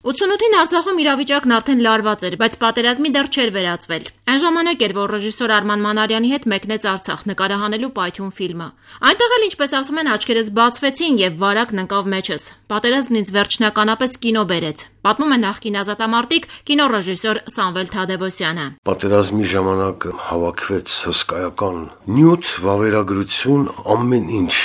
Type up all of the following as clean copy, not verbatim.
88-ին Արցախում իրավիճակն արդեն լարված էր, բայց պատերազմի դեռ չէր վերածվել։ Այն ժամանակ էր, որ ռեժիսոր Արման Մանարյանի հետ մեկնեց Արցախ նկարահանելու Պայթյուն ֆիլմը։ Այնտեղ էլ, ինչպես ասում են, աչքերս բացվեցին եւ վարակն ընկավ մեջս։ Պատերազմն ինձ վերջնականապես կինո բերեց, պատմում է նախկին ազատամարտիկ կինոռեժիսոր Սամվել Թադևոսյանը։ Պատերազմի ժամանակ հավաքվեց հսկայական նյութ, վավերագրություն, ամեն ինչ,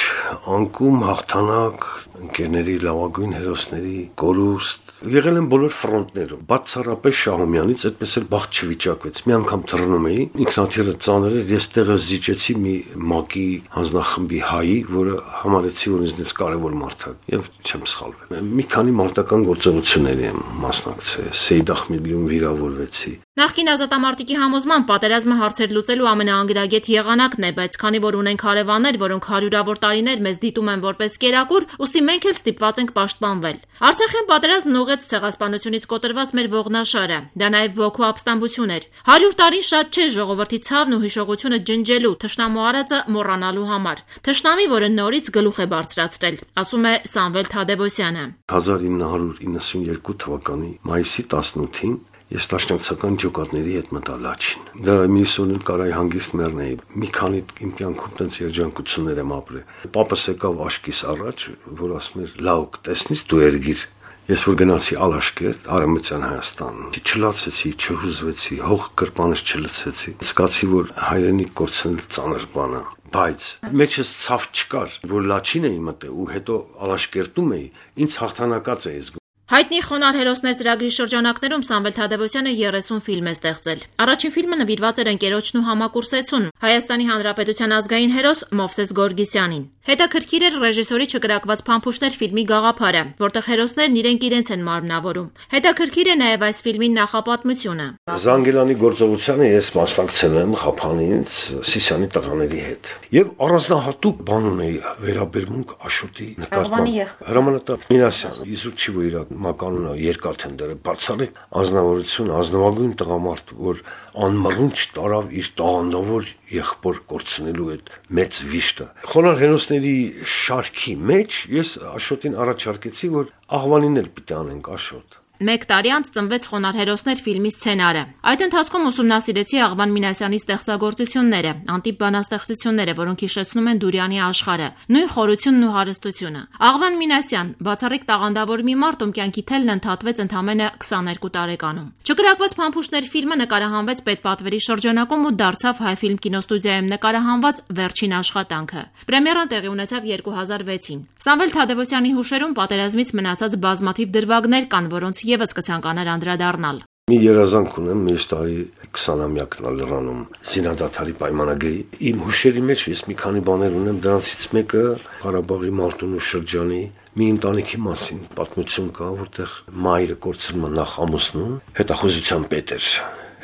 անկում, հաղթանակ, ընկերների լավագույն հերոսների կորուստ, եղել են բոլոր ֆրոնտներում, բացառապես Շահումյանից այդպես էլ բախտ չվիճակվեց։ Մի անգամ թռնում էի, ինքնաթիռը ծանր էր, ես տեղը զիջեցի մի ՄԱԿ-ի հանձնախմբի հայի, որը համարեցի, որ ինձնից կարևոր մարդ է, եւ չեմ սխալվել։ Մի քանի մարտական գործողությունների եմ մասնակցել, Սեյդ Ախմեդիում վիրավորվեցի։ Նախկին ազատամարտիկի համոզմամբ պատերազմը հարցեր լուծելու ամենաանգրագետ եղանակն է, բայց քանի որ ունենք հարևաններ, որոնք հարյուրավոր տարիներ մեզ դիտում են որպես կերակուր, ուստի մենք էլ ստիպված ենք պաշտպանվել։ Արցախյան պատերազմն ուղղեց ցեղասպանությունից կոտրված մեր ողնաշարը։ Դա նաև ոգու ապստամբություն էր։ 100 տարին շատ չէ ժողովրդի ցավն ու հիշողությունը ջնջելու, թշնամու արածը մոռանալու համար։ Թշնամի, որը նորից գլուխ է բարձրացրել, ասում է Սամվել Թադևոսյանը։ 1992 թվականի մայիսի 18-ին ես տաշնակցական ջոկատների հետ մտա Լաչին։ Դրա միսոնին կարայի հանգիստ մեռնեի։ Մի քանի իմ կյանքում տենց երջանկություններ եմ ապրել։ Պապս եկավ աշկիս առաջ, որ ասում էր՝ «Լավ, տեսնես դու երգիր»։ Ես որ գնացի Ալաշկերտ, Արևմտյան Հայաստան, չլացեցի, չհուզվեցի, հող կրպանս չլցեցի։ Զգացի, որ հայրենիք կորցնել ծանր բան է։ Բայց մեջս ցավ չկար, որ Լաչին էի մտել ու հետո Ալաշկերտում էի, ինձ հաղթանակած էի զգում։ Հայտնի խոնար հերոսներ ծրագրի շրջանակներում Սամվել Թադևոսյանը 30 ֆիլմ է ստեղծել։ Առաջին ֆիլմը նվիրված էր ընկերոջն ու համակուրսեցուն Հայաստանի Հանրապետության ազգային հերոս Մովսես Գորգիսյանին։ Հետաքրքիր էր ռեժիսորի չկրակված փամփուշտներ ֆիլմի գաղափարը, որտեղ հերոսներն իրենց են մարմնավորում։ Հետաքրքիր է նաև այս ֆիլմի նախապատմությունը։ Զանգելանի գործողությանը ես մասնակցել եմ Խափանից Սիսիանի տղաների հետ։ Եվ առանձնահատուկ բան ունեի վերաբերմունք Աշոտի նկատմամբ։ Հրամանատար Միրասյան, իզուր չի որ իր մականունը երկաթենդերը բացառիկ ազնվորություն, ազնվագույն տղամարդ, որ անմռունչ տարավ իր տաղանդավոր եղբոր կորցնելու այդ մեծ վիշտը։ Խոնար հերոսների շարքի մեջ ես Աշոտին առաջարկեցի, որ աղվանին էլ պիտի անենք Աշոտ։ Մեկ տարի անց ծնվեց «Խոնար հերոսներ» ֆիլմի սցենարը։ Այդ ընթացքում ուսումնասիրեցի Աղվան Մինասյանի ստեղծագործությունները, անտիպ բանաստեղծությունները, որոնք հիշեցնում են Դուրյանի աշխարհը, նույն խորությունն ու հարստությունը։ Աղվան Մինասյան, բացառիկ տաղանդավոր մի մարդ, ում կյանքի թելն ընդհատվեց ընդամենը 22 տարեկանում։ Չկրակված փամփուշտներ ֆիլմը նկարահանվեց պետպատվերի շրջանակում ու դարձավ Հայֆիլմ կինոստուդիայում նկարահանված վերջին աշխատանքը։ Պրեմիերան տեղի ունեցավ 2006-ին։ Սամվել Թադևոսյանի հուշերում պատերազմից մնացած բազմաթիվ դրվագներ կան, որոնց եւս կցանկանար անդրադառնալ։ Մի երազանք ունեմ միշտ տարի 20-ամյակն լրանում զինադադարի պայմանագրի։ Իմ հուշերի մեջ ես մի քանի բաներ ունեմ, դրանցից մեկը Ղարաբաղի Մարտունու շրջանի մի ընտանիքի մասին պատմություն կա, որտեղ մայրը կորցնում է նախ ամուսնուն, հետախուզության պետ էր,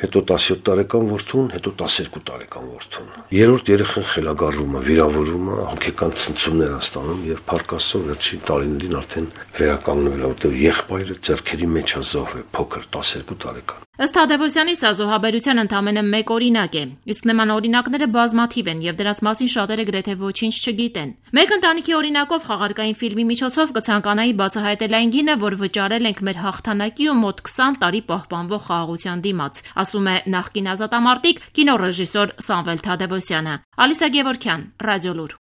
հետո 17 տարեկան որդուն, հետո 12 տարեկան որդուն։ Երրորդ երեխան խելագարվում է, վիրավորվում է, հոգեկան ցնցումներ է ստանում եւ փառք Աստծո վերջին տարիներին արդեն վերականգնվել է, որտեղ եղբայրը ձեռքերի մեջ է զոհվել, փոքր 12 տարեկան։ Ըստ Թադևոսյանի սա զոհաբերության ընդամենը մեկ օրինակ է, իսկ նման օրինակները բազմաթիվ են եւ դրանց մասին շատերը գրեթե ոչինչ չգիտեն։ Մեկ ընտանիքի օրինակով խաղարկային ֆիլմի միջոցով կցանկանայի բացահայտել այն գինը, որ վճարել ենք մեր հաղթանակի ու մոտ 20 տարի պահպանվող խաղաղության դիմաց, ասում է նախկին ազատամարտիկ կինոռեժիսոր Սամվել Թադևոսյանը։ Ալիսա Գևորգյան, Ռադիոլուր։